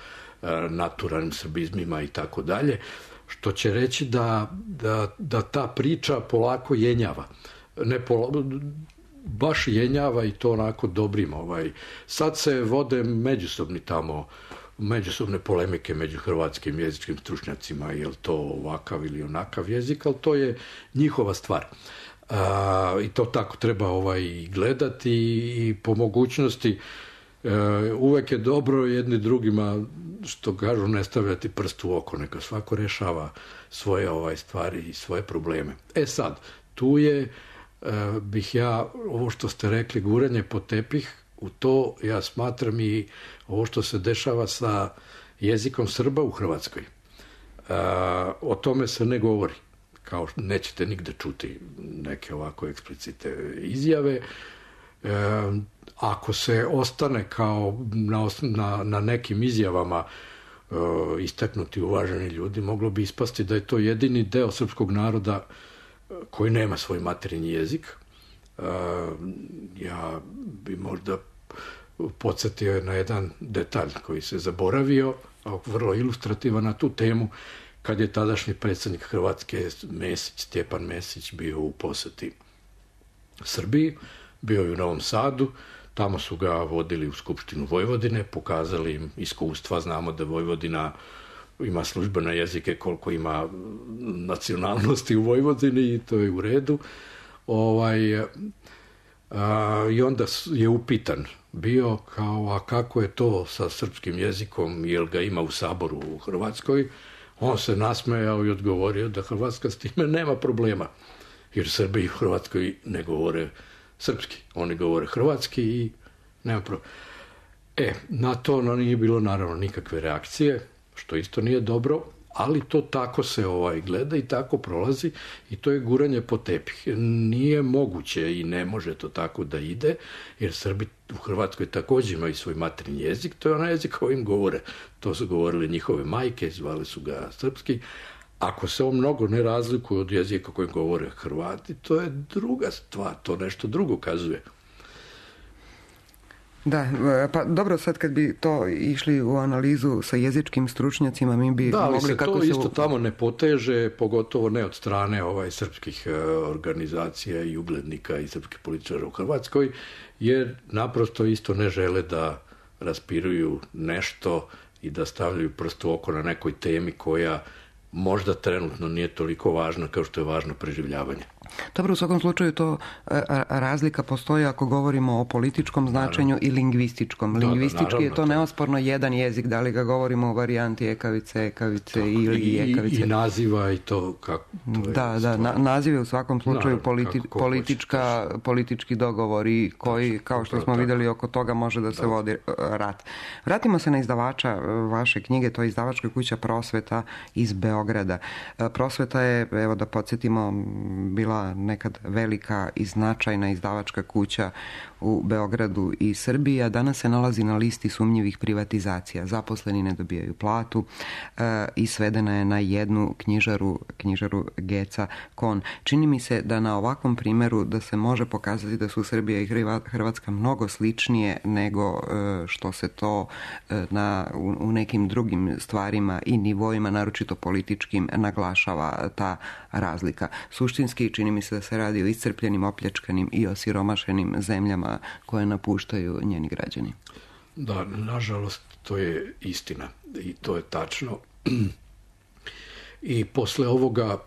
naturalnim srbizmima i tako dalje, što će reći da, da, da ta priča polako jenjava. Ne pola, baš jenjava i to onako dobrim. Ovaj. Sad se vode međusobni tamo, međusobne polemike među hrvatskim jezičkim stručnjacima, je li to ovakav ili onakav jezik, ali to je njihova stvar. A, i to tako treba ovaj gledati i po mogućnosti e, uvek je dobro jedni drugima, što kažu, ne stavljati prst u oko, neka svako rešava svoje ovaj stvari i svoje probleme. E sad, tu je e, bih ja, ovo što ste rekli, guranje pod tepih, u to ja smatram i ovo što se dešava sa jezikom Srba u Hrvatskoj. E, o tome se ne govori. Kao što nećete nigde čuti neke ovako eksplicite izjave. E, ako se ostane kao na, na, na nekim izjavama e, istaknuti uvaženi ljudi, moglo bi ispasti da je to jedini deo srpskog naroda koji nema svoj materinji jezik. E, ja bi možda podsjetio na jedan detalj koji se zaboravio, a vrlo ilustrativan na tu temu, kad je tadašnji predsjednik Hrvatske Mesić, Stjepan Mesić, bio u poseti Srbiji, bio je u Novom Sadu, tamo su ga vodili u Skupštinu Vojvodine, pokazali im iskustva, znamo da Vojvodina ima službene jezike koliko ima nacionalnosti u Vojvodini i to je u redu. Ovaj, a, i onda je upitan bio kao, a kako je to sa srpskim jezikom, jel ga ima u Saboru u Hrvatskoj? On se nasmejao i odgovorio da Hrvatska s time nema problema, jer Srbi u Hrvatskoj ne govore srpski. Oni govore hrvatski i nema problema. E, na to nije bilo naravno nikakve reakcije, što isto nije dobro, ali to tako se ovaj gleda i tako prolazi i to je guranje po tepih. Nije moguće i ne može to tako da ide, jer Srbi u Hrvatskoj također imaju svoj materinji jezik, to je onaj jezik kojim govore. To su govorile njihove majke, zvali su ga srpski. Ako se on mnogo ne razlikuje od jezika kojim govore Hrvati, to je druga stvar, to nešto drugo kazuje. Da, pa dobro, sad kad bi to išli u analizu sa jezičkim stručnjacima, mi bi da, mogli... Da, ali se kako to se... isto tamo ne poteže, pogotovo ne od strane ovaj srpskih organizacija i uglednika i srpskih političara u Hrvatskoj, jer naprosto isto ne žele da raspiruju nešto i da stavljaju prst u oko na nekoj temi koja možda trenutno nije toliko važna kao što je važno preživljavanje. Dobro, u svakom slučaju to razlika postoji ako govorimo o političkom značenju naravno. I lingvističkom. Da, Lingvistički da, je to neosporno jedan jezik, da li ga govorimo o varijanti ekavice, ekavice tako, ili i, ekavice. I naziva i to kako... To da, da, na, nazive u svakom slučaju naravno, politi, politička, politički dogovori koji, tačno, kao što smo tako. Vidjeli, oko toga može da se da. Vodi rat. Vratimo se na izdavača vaše knjige, to je izdavačka kuća Prosveta iz Beograda. Prosveta je, evo da podsjetimo, bila nekad velika i značajna izdavačka kuća u Beogradu i Srbiji, a danas se nalazi na listi sumnjivih privatizacija. Zaposleni ne dobijaju platu e, i svedena je na jednu knjižaru, knjižaru Geca Kon. Čini mi se da na ovakvom primjeru da se može pokazati da su Srbija i Hrvatska mnogo sličnije nego e, što se to e, na, u, u nekim drugim stvarima i nivoima, naročito političkim, naglašava ta razlika. Suštinski čini mi se da se radi o iscrpljenim, opljačkanim i osiromašenim zemljama koje napuštaju njeni građani. Da, nažalost, to je istina i to je tačno. I posle ovoga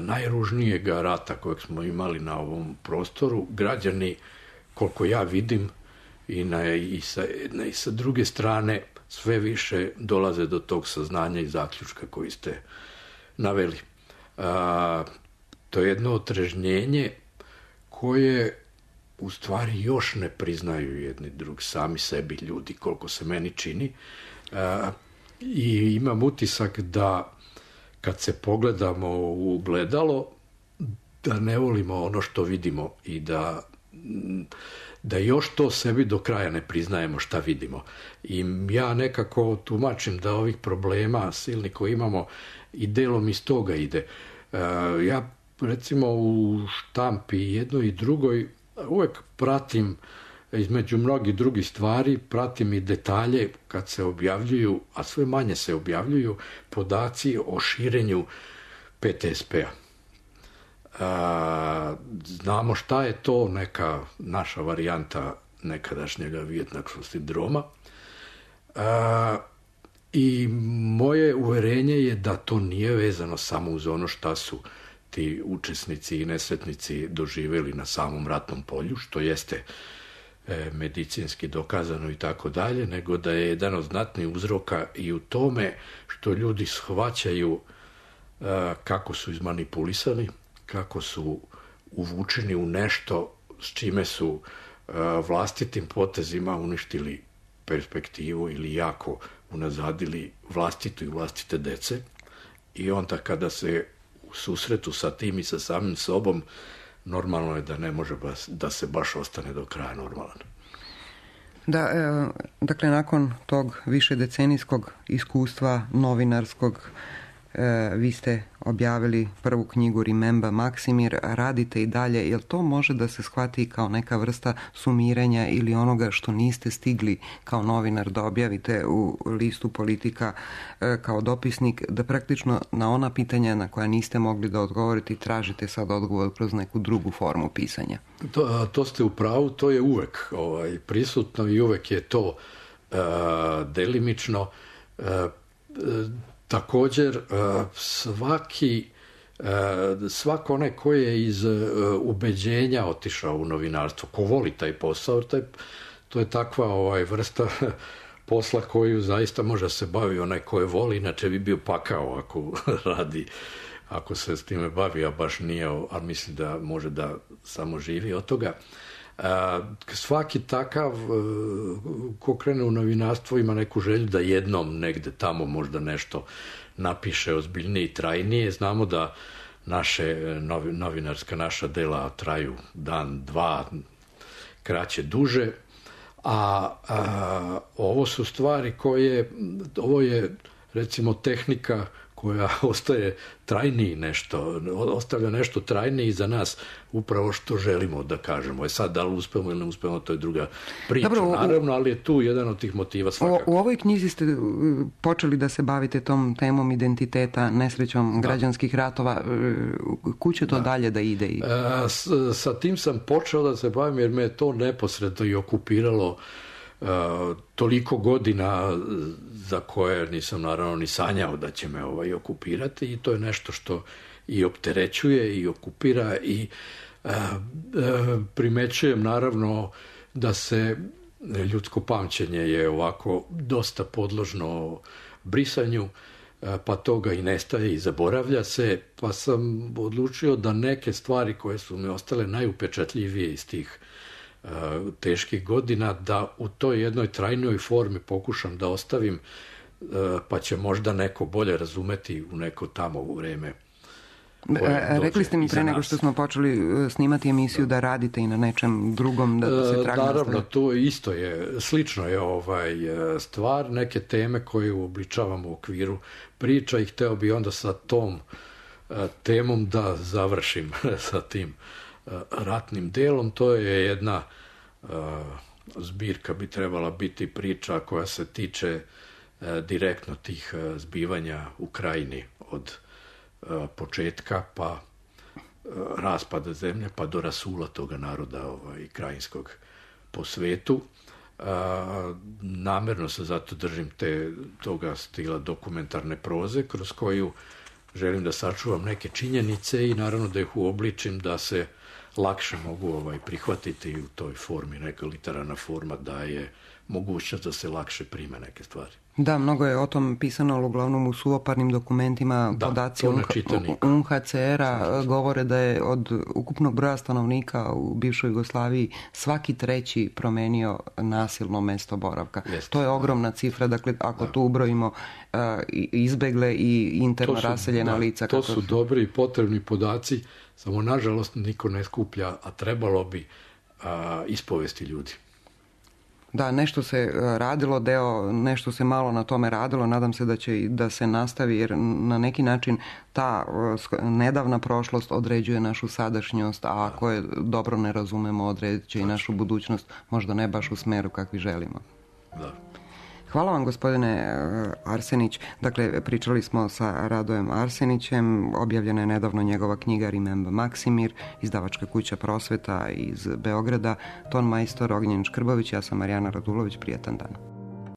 najružnijega rata kojeg smo imali na ovom prostoru, građani, koliko ja vidim, i, na, i, sa, na, i sa druge strane, sve više dolaze do tog saznanja i zaključka koji ste naveli. A, to je jedno otrežnjenje koje u stvari još ne priznaju jedni drug, sami sebi ljudi, koliko se meni čini. A, i imam utisak da kad se pogledamo u gledalo, da ne volimo ono što vidimo i da, da još to sebi do kraja ne priznajemo šta vidimo. I ja nekako tumačim da ovih problema silni koji imamo i delom iz toga ide. A, ja recimo u štampi jednoj i drugoj uvek pratim između mnogih drugih stvari, pratim i detalje kad se objavljuju, a sve manje se objavljuju, podaci o širenju P T S P-a. A, znamo šta je to, neka naša varijanta nekadašnjega vijetnamskog sindroma. A, I moje uverenje je da to nije vezano samo uz ono šta su ti učesnici i nesretnici doživjeli na samom ratnom polju, što jeste e, medicinski dokazano i tako dalje, nego da je jedan od znatnih uzroka i u tome što ljudi shvaćaju e, kako su izmanipulisani, kako su uvučeni u nešto s čime su e, vlastitim potezima uništili perspektivu ili jako unazadili vlastitu i vlastite dece. I onda kada se u susretu sa tim i sa samim sobom, normalno je da ne može baš, da se baš ostane do kraja normalan. Da, e, dakle, nakon tog višedecenijskog iskustva novinarskog, e, vi ste objavili prvu knjigu Remember Maksimir, radite i dalje. Jel to može da se shvati kao neka vrsta sumiranja ili onoga što niste stigli kao novinar da objavite u listu Politika e, kao dopisnik, da praktično na ona pitanja na koja niste mogli da odgovorite tražite sad odgovor kroz neku drugu formu pisanja? To, to ste u pravu, to je uvek ovaj, prisutno i uvek je to e, delimično. E, Također, svaki, svako onaj koji je iz ubeđenja otišao u novinarstvo, ko voli taj posao, taj, to je takva ovaj, vrsta posla koju zaista može se bavi onaj koji voli, inače bi bio pakao ako radi, ako se s time bavi, a baš nije, ali misli da može da samo živi od toga. Svaki takav ko krene u novinarstvo ima neku želju da jednom negde tamo možda nešto napiše ozbiljnije i trajnije. Znamo da naše novinarska naša dela traju dan, dva, kraće, duže, a, a ovo su stvari koje, ovo je recimo tehnika koja ostaje trajniji nešto, ostavlja nešto trajniji za nas, upravo što želimo da kažemo. E sad, da li uspemo ili ne uspemo, to je druga priča, dobro, naravno, ali je tu jedan od tih motiva svakako. U, u ovoj knjizi ste počeli da se bavite tom temom identiteta, nesrećom da. građanskih ratova. Kud će to da. dalje da ide? I... E, s, sa tim sam počeo da se bavim jer me je to neposredno i okupiralo Uh, toliko godina za koje nisam naravno ni sanjao da će me ovaj okupirati, i to je nešto što i opterećuje i okupira i uh, uh, primećujem naravno da se ljudsko pamćenje je ovako dosta podložno brisanju, uh, pa toga i nestaje i zaboravlja se, pa sam odlučio da neke stvari koje su mi ostale najupečatljivije iz tih teških godina, da u toj jednoj trajnoj formi pokušam da ostavim, pa će možda neko bolje razumeti u neko tamo u vreme. Rekli ste mi pre nego što smo počeli snimati emisiju da, da radite i na nečem drugom, da se trag nastavi. Naravno, to isto je, slično je ovaj stvar, neke teme koje uobličavamo u okviru priča i hteo bi onda sa tom temom da završim sa tim ratnim delom. To je jedna uh, zbirka, bi trebala biti priča koja se tiče uh, direktno tih uh, zbivanja u krajini od uh, početka pa uh, raspada zemlje pa do rasula toga naroda ovaj, krajinskog po svetu. Uh, namerno se zato držim te, toga stila dokumentarne proze kroz koju želim da sačuvam neke činjenice i naravno da ih uobličim da se lakše mogu ovaj, prihvatiti u toj formi. Neka literarna forma daje mogućnost da se lakše prime neke stvari. Da, mnogo je o tom pisano, ali uglavnom u suvoparnim dokumentima. Da, podaci U N H C R-a govore da je od ukupnog broja stanovnika u bivšoj Jugoslaviji svaki treći promenio nasilno mesto boravka. Jeste, to je ogromna da. cifra, dakle ako da. tu ubrojimo uh, izbegle i interno su, raseljena da, lica. To su dobri i potrebni podaci, samo nažalost niko ne skuplja, a trebalo bi uh, ispovesti ljudi. Da, nešto se radilo, deo, nešto se malo na tome radilo, nadam se da će da se nastavi, jer na neki način ta nedavna prošlost određuje našu sadašnjost, a ako je dobro ne razumemo, odredit će i našu budućnost, možda ne baš u smeru kakvi želimo. Da. Hvala vam, gospodine Arsenić. Dakle, pričali smo sa Radojem Arsenićem, objavljena je nedavno njegova knjiga Remember Maksimir, izdavačka kuća Prosveta iz Beograda, ton majstor Ognjen Škrbović, ja sam Marijana Radulović, prijatan dan.